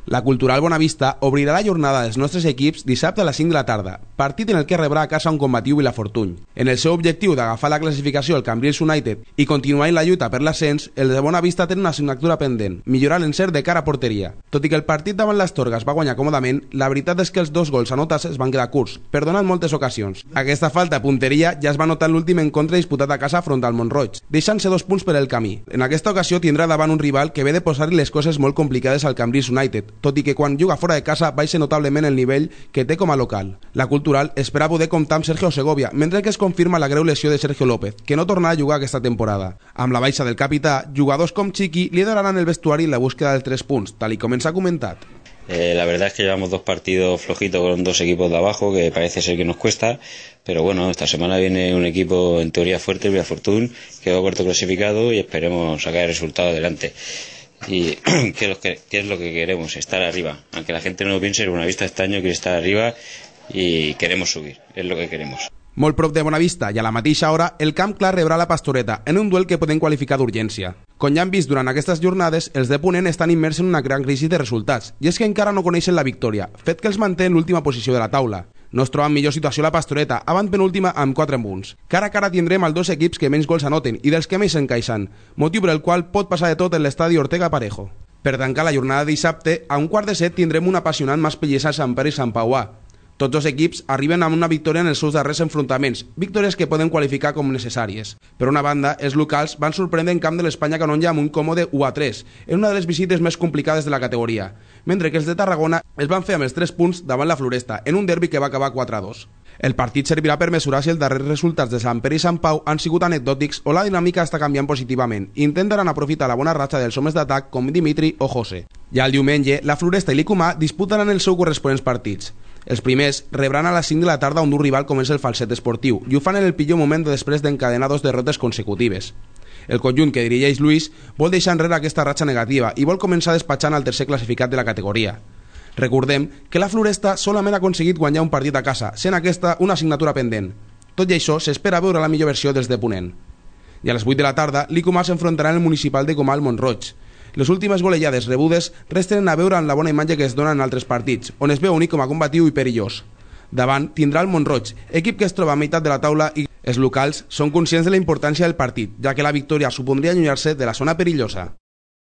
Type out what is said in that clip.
La Cultural Bonavista obrirà la jornada dels nostres equips dissabte a les 5 de la tarda, partit en el que rebrà a casa un combatiu Vilafortuny. En el seu objectiu d'agafar la classificació al Cambrils United i continuar en la lluita per l'ascens, el de Bonavista té una assignatura pendent, millorar l'encert de cara a porteria. Tot i que el partit davant l'Astorga es va guanyar còmodament, la veritat és que els 2 gols anotats es van quedar curts, perdonant moltes ocasions. Aquesta falta de punteria ja es va notar en l'últim encontre disputat a casa front al Montroig, deixant-se 2 punts per el camí. En aquesta ocasió tindrà davant un rival que ve de posar-li les coses molt complicades al Cambrils United, tot i que quan juga fora de casa baixa notablement el nivell que té com a local. La Cultural espera poder comptar amb Sergio Segovia, mentre que es confirma la greu lesió de Sergio López, que no tornarà a jugar aquesta temporada. Amb la baixa del capità, jugadors com Chiqui lideraran el vestuari en la búsqueda dels 3 punts, tal y com ens ha comentat. La verdad es que llevamos 2 partidos flojitos con 2 equipos de abajo, que parece ser que nos cuesta, pero bueno, esta semana viene un equipo en teoría fuerte, el Vilafortuny, que va cuarto clasificado y esperemos sacar el resultado adelante. Y ¿qué es lo que queremos? Estar arriba. Aunque la gente no lo piense, el Bonavista este año quiere estar arriba y queremos subir, es lo que queremos. Molt prop de Bonavista i a la mateixa hora, el Camp Clar rebrà la Pastoreta en un duel que podem qualificar d'urgència. Com ja han vist durant aquestes jornades, els de Ponent estan immersos en una gran crisi de resultats, i és que encara no coneixen la victòria, fet que els manté en l'última posició de la taula. No es troba en millor situació la Pastoreta, avant penúltima amb 4 punts. Cara a cara tindrem els 2 equips que menys gols anoten i dels que més s'encaixen, motiu per el qual pot passar de tot en l'estadi Ortega Parejo. Per tancar la jornada de dissabte, a 6:15 tindrem un apassionant Mas-Pellissa, Sant Pere i Sant Pauà. Tots 2 equips arriben amb una victòria en els seus darrers enfrontaments, victòries que poden qualificar com necessàries. Per una banda, els locals van sorprendre en camp de l'Espanya Canonja amb un còmode 1-3, en una de les visites més complicades de la categoria, mentre que els de Tarragona es van fer amb els 3 punts davant la Floresta, en un derbi que va acabar 4-2. El partit servirà per mesurar si els darrers resultats de Sant Pere i Sant Pau han sigut anecdòtics o la dinàmica està canviant positivament. Intentaran aprofitar la bona ratxa dels homes d'atac com Dimitri o José. Ja el diumenge, la Floresta i l'Icumà disputaran els seus corresponents partits. Els primers rebran a les 5 de la tarda un dur rival com és el Falset Esportiu i ho fan en el pitjor moment després d'encadenar 2 derrotes consecutives. El conjunt que dirigeix Luis vol deixar enrere aquesta ratxa negativa i vol començar despatxant al tercer classificat de la categoria. Recordem que la Floresta solament ha aconseguit guanyar un partit a casa, sent aquesta una assignatura pendent. Tot i això, s'espera veure la millor versió dels de Ponent. I a les 8 de la tarda, l'Icumà s'enfrontarà en el municipal de Comal Montroig. Les últimes golejades rebudes resten a veure en la bona imatge que es dona en altres partits, on es veu un com a combatiu i perillós. Davant tindrà el Montroig, equip que es troba a meitat de la taula i els locals són conscients de la importància del partit, ja que la victòria supondria allunyar-se de la zona perillosa.